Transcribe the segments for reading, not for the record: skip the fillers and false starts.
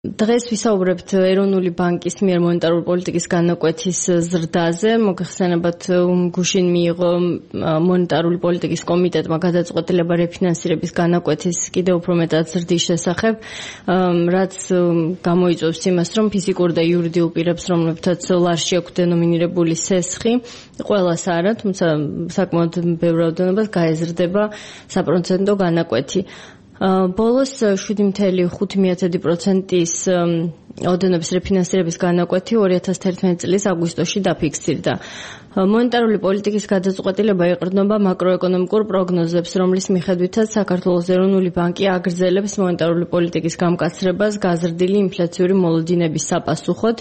დღეს ვისაუბრებთ ეროვნული ბანკის მიერ მონეტარული პოლიტიკის განაკვეთის ზრდაზე. მოგეხსენებათ, გუშინ მიიღო მონეტარული პოლიტიკის კომიტეტმა გადაწყვეტილება რეფინანსირების განაკვეთის კიდევ უფრო მეტად ზრდის შესახებ, რაც გამოიწვევს იმას, რომ ფიზიკურ და იურიდიულ პირებს, რომლებთაც ლარში აქვთ დენომინირებული სესხი, ყველას არა, თუმცა საკმაოდ ბევრ რაოდენობას გაეზრდება საპროცენტო განაკვეთი. ბოლოს 7.5%-ის ოდენობის რეფინანსირების განაკვეთი 2011 წლის აგვისტოში დაფიქსირდა. მონეტარული პოლიტიკის გადაწყვეტილება ეყრდნობა მაკროეკონომიკურ პროგნოზებს, რომლის მიხედვითაც საქართველოს ეროვნული ბანკი აგრძელებს მონეტარული პოლიტიკის გამკაცრებას გაზრდილი ინფლაციური მოლოდინების საპასუხოდ.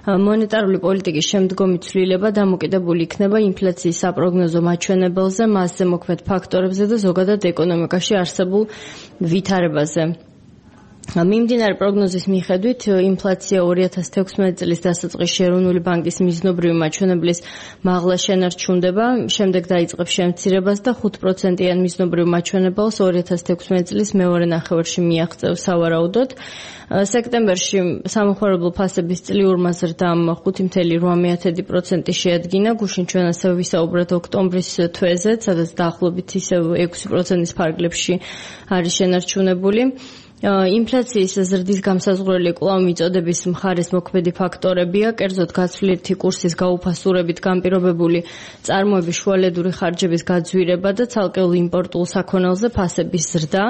მონეტარული პოლიტიკის შემდგომი ცვლილება დამოკიდებული იქნება ინფლაციის საპროგნოზო მაჩვენებელზე, მასზე მოქმედ ფაქტორებზე და ზოგადად ეკონომიკაში არსებულ ვითარებაზე. მიმდინარე პროგნოზის მიხედვით ინფლაცია 2016 წლის დასაწყისში ეროვნული ბანკის მიზნობრივი მაჩვენებლის მაღლა შენარჩუნდება, შემდეგ დაიწყებს შემცირებას და 5%-იან მიზნობრივ მაჩვენებელს 2016 წლის მეორე ნახევარში მიაღწევს სავარაუდოდ. სექტემბერში სამოხმარებლო ფასების წლიურმა ზრდამ 5.8% შეადგინა. გუშინ ჩვენ ასევე ვისაუბრეთ ოქტომბრის თვეზე, სადაც დაახლოებით ისევ 6%-ის ფარგლებში არის შენარჩუნებული. ინფლაციის ზრდის გამსაზღვრელი კვლავ მიწოდების მხარეს მოქმედი ფაქტორებია, კერძოდ გაცვლითი კურსის გაუფასურებით განპირობებული წარმოების შუალედური ხარჯების გაძვირება და ცალკეულ იმპორტულ საქონელზე ფასების ზრდა.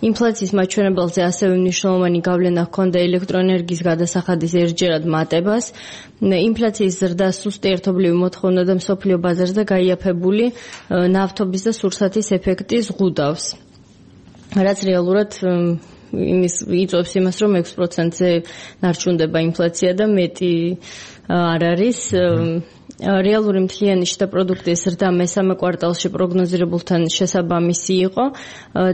ინფლაციის მაჩვენებელზე ასევე მნიშვნელოვანი გავლენა ჰქონდა ელექტროენერგიის გადასახადის ერთჯერად მატებას. ინფლაციის ზრდა სუსტი ერთობლივი მოთხოვნა და მსოფლიო ბაზარზე გაიაფებული ნავთობის და სურსათის ეფექტი ზღუდავს, რაც რეალურად იწვევს იმას, რომ 6%-ზე ნარჩუნდება ინფლაცია და მეტი არ არის. რეალური მთლიანი შიდა პროდუქტის ზრდა მესამე კვარტალში პროგნოზირებულთან შესაბამისი იყო.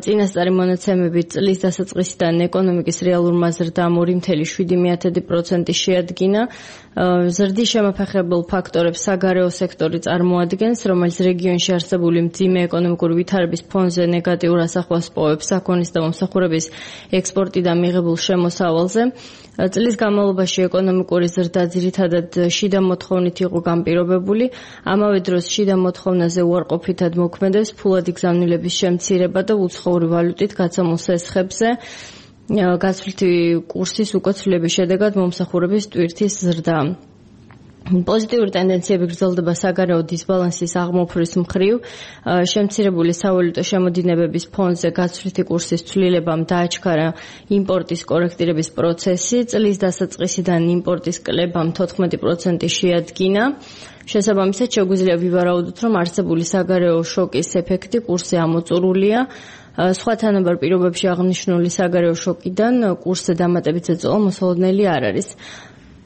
წინასწარი მონაცემებით წლის დასაწყისიდან ეკონომიკის რეალურმა ზრდამ 2.7% შეადგინა. ზრდის შემოფეხებულ ფაქტორებს საგარეო სექტორი წარმოადგენს, რომელიც რეგიონში არსებული მძიმე ეკონომიკური ვითარების ფონზე ნეგატიურ ასახვას პოვებს საქონლის და მომსახურების ექსპორტი და მიღებულ შემოსავალზე. წლის განმავლობაში ეკონომიკური ზრდა ძირითადად შიდა მოთხოვნით იყო განპირობებული. ამავე დროს შიდა მოთხოვნაზე უარყოფითად მოქმედებს ფულადი გზავნილების შემცირება და უცხოური ვალუტით გაცემულ სესხებზე. გაცვლითი კურსის უკოცვლების შედეგად მომსახურების ტვირთის ზრდა. პოზიტიური ტენდენციები გრძელდება საგარეო დისბალანსის აღმოფხრის მხრივ. შემცირებული სავალუტო შემოდინებების ფონზე გაცვლითი კურსის ცვლილებამ დააჩქარა იმპორტის კორექტირების პროცესი. წლის დასაწყისიდან იმპორტის კლებამ 14% შეადგინა. შესაბამისად, შეგვიძლია ვივარაუდოთ, რომ არსებული საგარეო შოკის ეფექტი კურსზე ამოწურულია. სხვა თანაბარ პირობებში აღნიშნული საგარეო შოკიდან კურსზე დამატებით ზეწოლა მოსალოდნელი არ არის.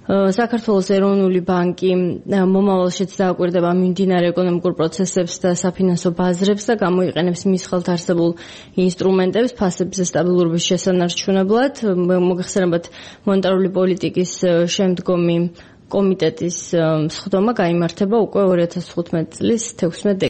საქართველოს ეროვნული ბანკი მომავალშიც დააკვირდება მიმდინარე ეკონომიკურ პროცესებს და საფინანსო ბაზრებს და გამოიყენებს მის ხელთ არსებულ ინსტრუმენტებს ფასებზე სტაბილურობის შესანარჩუნებლად. მოგეხსენებათ, მონეტარული პოლიტიკის შემდგომი კომიტეტის სხდომა გაიმართება უკვე 2015 წლის 16